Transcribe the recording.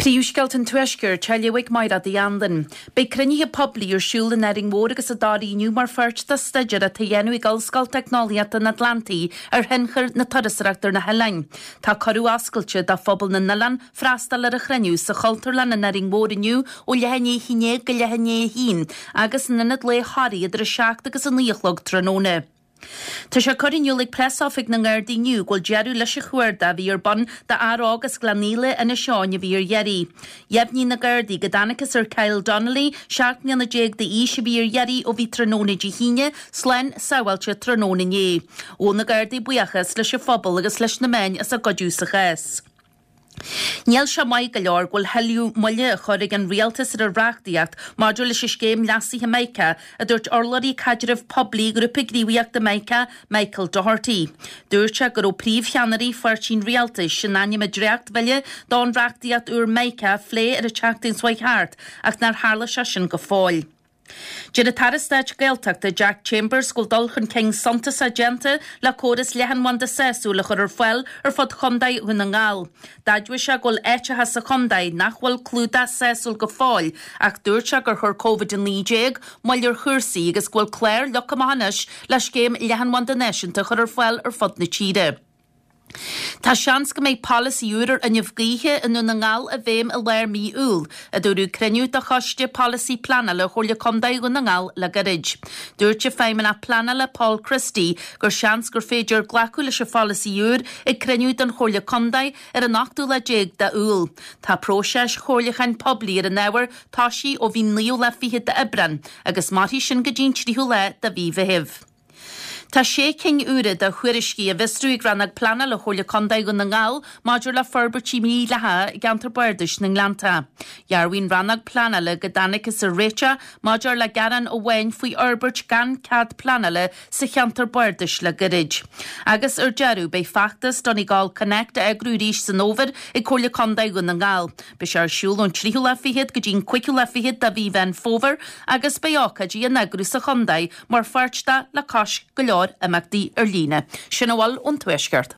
Príomhscéalta an Tuaiscirt á léamh ag Mairéad Uí Anluain. Beidh cruinnithe poiblí ar siúl in Árainn Mhór agus i dToraigh inniu mar pháirt de staidéar atá á dhéanamh ag Ollscoil Teicneolaíochta an Atlantaigh ar thionchar na turasóireachta ar na hoileáin. Tá cuireadh oscailte do phobal na n-oileán freastal ar an chruinniú sa Chultúrlann in Árainn Mhór inniu ó leath i ndiaidh 11 go leath i ndiaidh 1 agus in Ionad Lae Thoraí idir 7 agus 9 a chlog tráthnóna. Tá sé curtha in iúl ag Preasoifig na nGardaí inniu go bhfuil deireadh leis an chuardach a bhí ar bun d'fhear óg as Gleann Íle, Inis Eoghain a bhí ar iarraidh. Dheimhnigh na Gardaí go dtángthas ar Kyle Donnelly, 17 mbliana d'aois, a bhí ar iarraidh ó bhí tráthnóna Dé hAoine, slán sábháilte tráthnóna inné. Ghabh na Gardaí buíochas leis an phobal agus leis na meáin as a gcuidiú sa chás. Níl sé maith go leor go bhfuil thuilleadh moille á chur ag an rialtas ar an reachtaíocht maidir leis an scéim leasaithe Mica, a dúirt urlabhraí caidrimh poiblí Ghrúpa Gníomhaíochta Mica, Michael Doherty. Dúirt sé go raibh príomhcheannairí pháirtí an rialtais in ainm an dréachtbhille don reachtaíocht úr Mica a phlé ar an tseachtain seo chuaigh thart ach nár tharla sé sin go fóill. Deir an tAire Stáit Gaeltachta Jack Chambers go bhfuil dul chun cinn suntasach déanta le córas leathanbhanda sásúil a chur ar fáil ar fud Chontae Dhún na nGall. D'admhaigh sé go bhfuil áiteacha sa chontae nach bhfuil clúdach sásúil go fóill ach dúirt sé gur chuir Covid-19 moill ar chúrsaí agus go bhfuil clár leagtha amach anois le scéim leathanbhanda náisiúnta a chur ar fáil ar fud na tíre. Tá seans go mbeidh polasaí úr ar fhuinneamh gaoithe i nDún na nGall i bhfeidhm i lár mí Iúil, a dúradh ag cruinniú de Choiste Polasaí Pleanála Chomhairle Contae Dhún na nGall le gairid. Dúirt an Feidhmeannach Pleanála Paul Christie gur seans gur féidir glacadh leis an pholasaí úr ag cruinniú den Chomhairle Contae ar an ochtú lá déag de Iúil. Tá próiseas chomhairliúcháin poiblí ar an ábhar tosaithe ó bhí an naoú lá fichead d'Aibreán agus mairfidh sin go dtí an tríú lá de mhí Mheithimh. Tá sé cinn úra de thuairiscí á bhfiosrú ag Rannóg Pleanála Chomhairle Contae Dhún na nGall maidir le forbairtí mídhleathacha i gceantar Bardais na nGleannta. Dhearbhaigh an Rannóg Pleanála go dtángthas ar réiteach maidir le gearán amháin faoi fhorbairt gan cead pleanála sa cheantar bardais le gairid. Agus ar deireadh, beidh feachtas Donegal Connect á eagrú arís san fhómhar ag Comhairle Contae Dhún na nGall. Beidh sé ar siúl ón tríú lá fichead go dtí an cúigiú lá fichead de mhí Mheán Fómhair agus beidh ócáidí á n-eagrú sa chontae mar pháirt de le cois go leor imeachtaí ar líne. Sin a bhfuil ón Tuaisceart.